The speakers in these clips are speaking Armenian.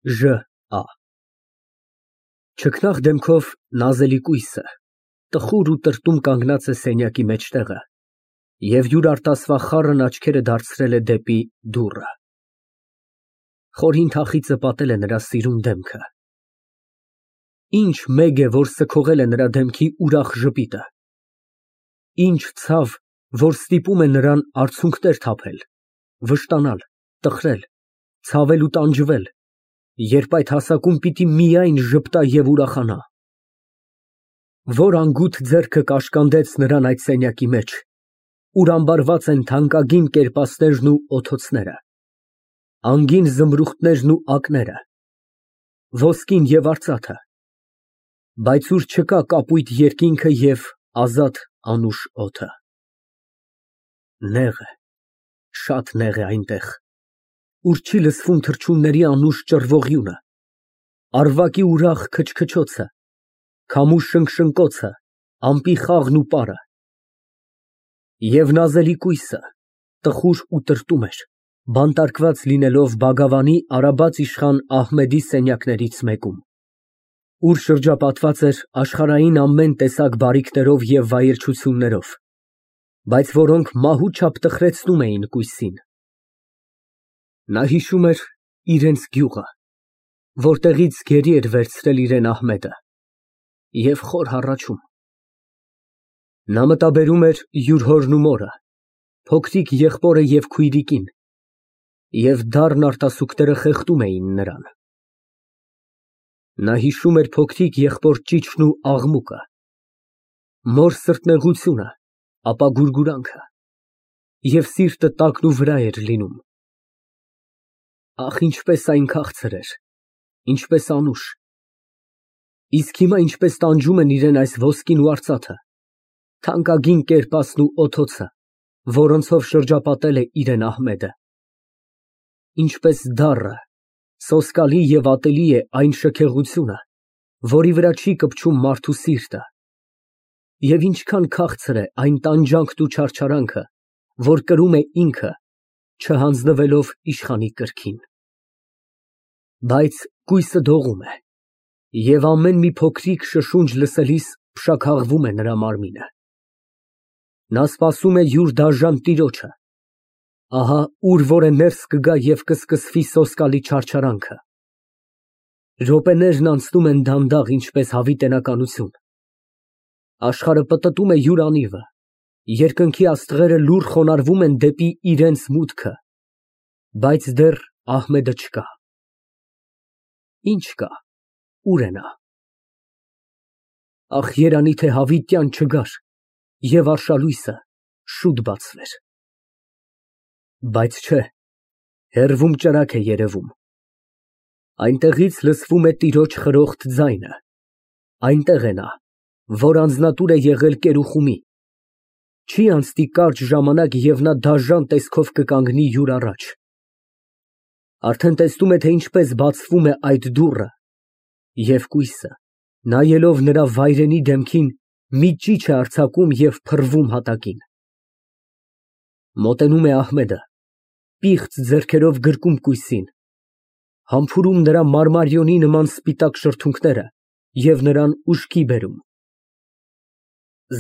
Ժ Ա Չքնաղ դեմքով նազելի կույսը տխուր ու տրտում կանգնած է սենյակի մեջտեղը և յուր արտասվա խառն աչքերը դարձրել է դեպի դուռը։ Խորին թախիծը պատել է նրա սիրուն դեմքը։ Ինչ մեգ է, որ սգողել է նրա դեմքի ուրախ ժպիտը։ Ինչ ցավ, որ ստիպում է նրան արցունքներ թափել, վշտանալ, տխրել, ցավել ու տանջվել, երբ այդ հասակում պիտի միայն ժպտա և ուրախանա։ Որ անգութ ձեռքը կաշկանդեց նրան այդ սենյակի մեջ, ուր ամբարված են թանկագին կերպասներն ու օթոցները, անգին զմրուխտներն ու ակները, ոսկին և արծաթը, բայց ուր չկա կապույտ երկինքը և ազատ անուշ օդը։ Նեղ է, շատ նեղ է այնտեղ, ուր չի լսվում թռչունների անուշ ճռվողյունը, առվակի ուրախ քչքչոցը, քամու շնգշնկոցը, ամպի խաղն ու պարը։ Եվ նազելի կույսը տխուր ու տրտում էր, բանտարկված լինելով Բագավանի արաբաց իշխան Ահմեդի սենյակներից մեկում, ուր շրջապատված էր աշխարհային ամեն տեսակ բարիքներով և վայելչություններով, բայց որոնք մահու չափ տխրեցնում էին կույսին։ Նա հիշում էր իրենց գյուղը, որտեղից գերի էր վերցրել իրան Ահմեդը, և խոր հառաչում։ Նա մտաբերում էր յուր հորն ու մորը, փոքրիկ եղբորը և քույրիկին, և դառն արտասուքները խեղդում էին նրան։ Նա հիշում էր փոքրիկ եղբոր ճիչն ու աղմուկը, մոր սրտնեղությունը, ապա գուրգուրանքը, և սիրտը տակն ու վրա էր լինում։ Ահ, ինչպես այն քաղցր էր, ինչպես անուշ, իսկ հիմա ինչպես տանջում են իրան այս ոսկին ու արծաթը, թանկագին կերպասն ու օթոցը, որոնցով շրջապատել է իրան Ահմեդը։ Ինչպես դառը, սոսկալի և ատելի է այն շքեղությունը, որի վրա չի կպչում մարդու սիրտը, և ինչքան քաղցր է այն տանջանքն ու չարչարանքը, որ կրում է ինքը, չհանձնվելով իշխանի կրքին։ Բայց կույսը դողում է, և ամեն մի փոքրիկ շշունջ լսելիս փշաքաղվում է նրա մարմինը։ Նա սպասում է յուր դաժան տիրոջը, ահա ուր որ է ներս կգա և կսկսվի սոսկալի չարչարանքը։ Րոպեներն անցնում են դանդաղ, ինչպես հավիտենականություն։ Աշխարհը պտտում է յուր անիվը, երկնքի աստղերը լուռ խոնարհվում են դեպի իրենց մուտքը, բայց դեռ Ահմեդը չկա։ Ինչ կա, ուր է նա։ Ախ, երանի թե հավիտյան չգար և արշալույսը շուտ բացվեր։ Բայց չէ, հեռվում ճրագ է երևում։ Այնտեղից լսվում է տիրոջ խրոխտ ձայնը, այնտեղ է նա, որ անձնատուր է եղել կերուխումի։ Չի անցնի կարճ ժամանակ, և նա դաժան տեսքով կկանգնի յուր առաջ։ Արդեն տեսնում է, թե ինչպես բացվում է այդ դուռը, և կույսը, նայելով նրա վայրենի դեմքին, մի ճիչ է արձակում և փռվում հատակին։ Մոտենում է Ահմեդը, պիղծ ձեռքերով գրկում կույսին, համբուրում նրա մարմարիոնի նման սպիտակ շրթունքները և նրան ուշքի բերում։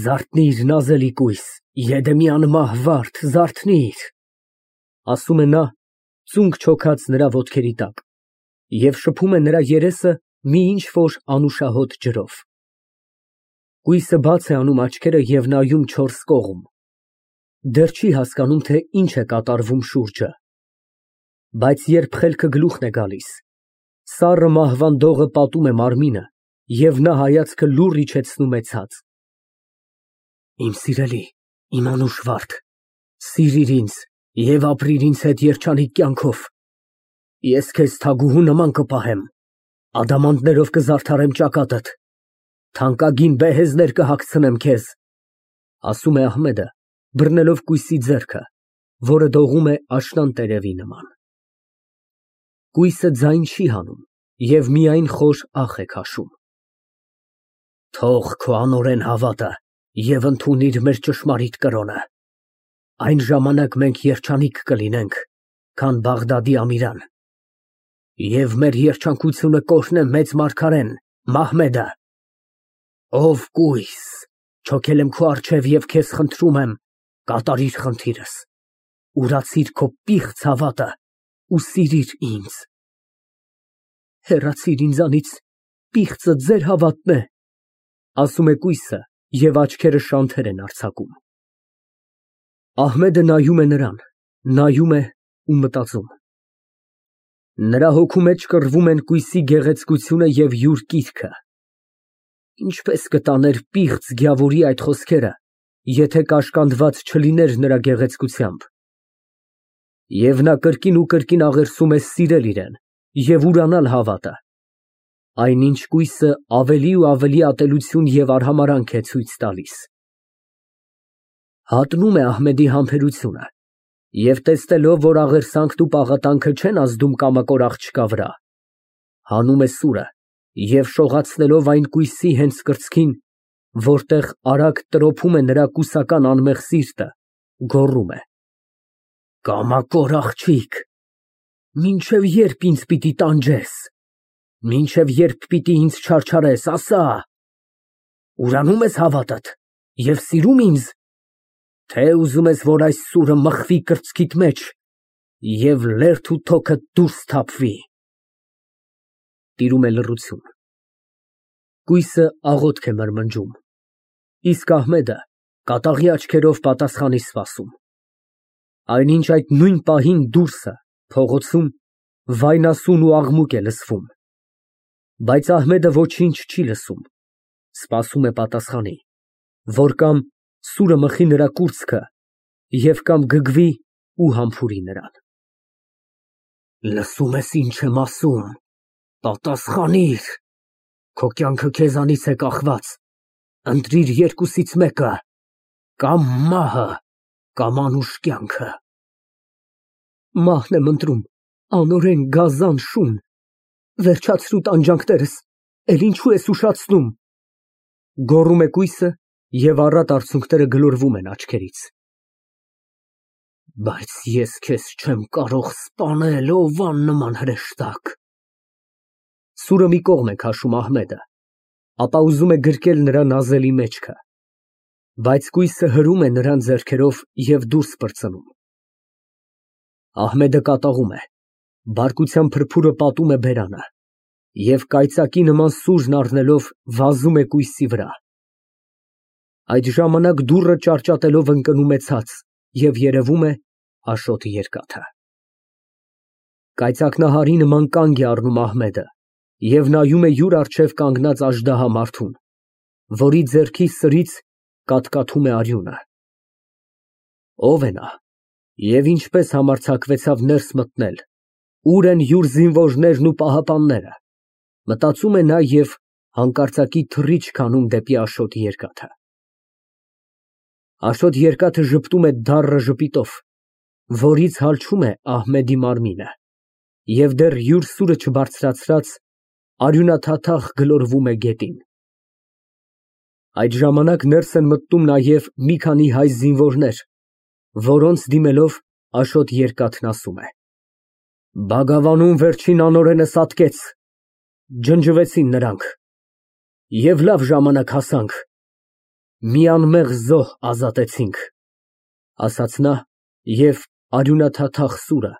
Զարթնի՛ր, նազելի կույս, եդեմյան մահ վարդ, զարթնի՛ր, ասում է նա, ծունկ չոքած նրա ոտքերի տակ, և շփում է նրա երեսը մի ինչ֊որ անուշահոտ ջրով։ Կույսը բաց է անում աչքերը և նայում չորս կողմ, դեռ չի հասկանում, թե ինչ է կատարվում շուրջը։ Բայց երբ խելքը գլուխն է գալիս, սառը մահվան դողը պատում է մարմինը, և նա հայացքը լուռ իջեցնում է ցած։ Իմ սիրելի, իմ անուշ վարդ, սիրիր ինձ և ապրիր ինձ հետ երջանիկ կյանքով։ Ես քեզ թագուհու նման կպահեմ, ադամանդներով կզարդարեմ ճակատդ, թանկագին բեհեզներ կհագցնեմ քեզ, ասում է Ահմեդը, բռնելով կույսի ձեռքը, որը դողում է աշնան տերևի նման։ Կույսը ձայն չի հանում և միայն խոր ախ է քաշում։ Թող քո անօրեն հավատը և ընդունիր մեր ճշմարիտ կրոնը, այն ժամանակ մենք երջանիկ կլինենք, քան Բաղդադի Ամիրան։ Եվ մեր երջանկությունը կօրհնե մեծ մարգարեն Մահմեդը։ Ով կույս, չոքել եմ քո առջև և քեզ խնդրում եմ, կատարիր խնդիրս, ուրացիր քո պիղծ հավատը ու սիրիր ինձ։ Հեռացիր ինձանից, պիղծը ձեր հավատն է, ասում է կույսը և աչքերը շանթեր են արձակում։ Ահմեդը նայում է նրան, նայում է ու մտածում։ Նրա հոգու մեջ կռվում են կույսի գեղեցկությունը և յուր կիրքը։ Ինչպես կտաներ պիղծ գյավորի այդ խոսքերը, եթե կաշկանդված չլիներ նրա գեղեցկությամբ։ Եվ նա կրկին ու կրկին աղերսում է սիրել իրեն և ուրանալ հավատը, այնինչ կույսը ավելի ու ավելի ատելություն և արհամարհանք է ցույց տալիս։ Հատնում է Ահմեդի համբերությունը և տեսնելով, որ աղերսանքն ու պաղատանքը չեն ազդում կամակոր աղջկա վրա, հանում է սուրը և շողացնելով այն կույսի հենց կրծքին, որտեղ արագ տրոփում է նրա կուսական անմեղ սիրտը, գոռում է. Կամակոր աղջիկ, մինչև ե՞րբ ինձ պիտի տանջես, մինչև ե՞րբ պիտի ինձ չարչարես, ասա, ուրանում ես հավատդ և սիրում ինձ, թե ուզում ես, որ այս սուրը մխվի կրծքիդ մեջ և լերդ ու թոքդ դուրս թափվի։ Տիրում է լռություն։ Կույսը աղոթք է մրմնջում, իսկ Ահմեդը կատաղի աչքերով պատասխան է սպասում։ Այնինչ այդ նույն պահին դուրսը, փողոցում, վայնասուն ու աղմուկ է լսվում, բայց Ահմեդը ոչինչ չի լսում, սպասում է պատասխանի, որ կամ սուրը մխի նրա կուրծքը և կամ գգվի ու համբուրի նրան։ Լսում ես, ինչ եմ ասում, պատասխանիր, քո կյանքը քեզանից է կախված, ընտրիր երկուսից մեկը, կամ մահը, կամ անուշ կյանքը։ Մահն եմ ընտրում, անօրեն, գազան, շուն, վերջացրու տանջանքներս, էլ ինչու ես ուշացնում, գոռում է կույսը և առատ արցունքները գլորվում են աչքերից։ Բայց ես քեզ չեմ կարող սպանել, ով աննման հրեշտակ։ Սուրը մի կողմ է քաշում Ահմեդը, ապա ուզում է գրկել նրա նազելի մեջքը, բայց կույսը հրում է նրան ձեռքերով և դուրս պրծնում։ Ահմեդը կատաղում է, բարկության փրփուրը պատում է բերանը և կայծակի նման սուրն առնելով վազում է կույսի վրա։ Այդ ժամանակ դուռը ճարճատելով ընկնում է ցած և երևում է Աշոտ Երկաթը։ Կայծակնահարի նման կանգ է առնում Ահմեդը և նայում է յուր առջև կանգնած աժդահա մարդուն, որի ձեռքի սրից կաթկաթում է արյունը։ Ո՞վ է նա և ինչպես համարձակվեցավ ներս մտնել, ո՞ւր են յուր զինվորներն ու պահապանները, մտածում է նա և հանկարծակի թռիչք անում դեպի Աշոտ Երկաթը։ Աշոտ Երկաթը ժպտում է դառը ժպիտով, որից հալչում է Ահմեդի մարմինը, և դեռ յուր սուրը չբարձրացրած, արյունաթաթախ գլորվում է գետին։ Այդ ժամանակ ներս են մտնում նաև մի քանի հայ զինվորներ, որոնց դիմելով Աշոտ Երկաթն ասում է. Բագավանում վերջին անօրենս ատկեց, ջնջվեցին նրանք, և լավ ժամանակ հասանք, մի անմեղ զոհ ազատեցինք, ասաց նա և արյունաթաթախ սուրը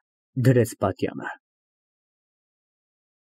դրեց պատյանը։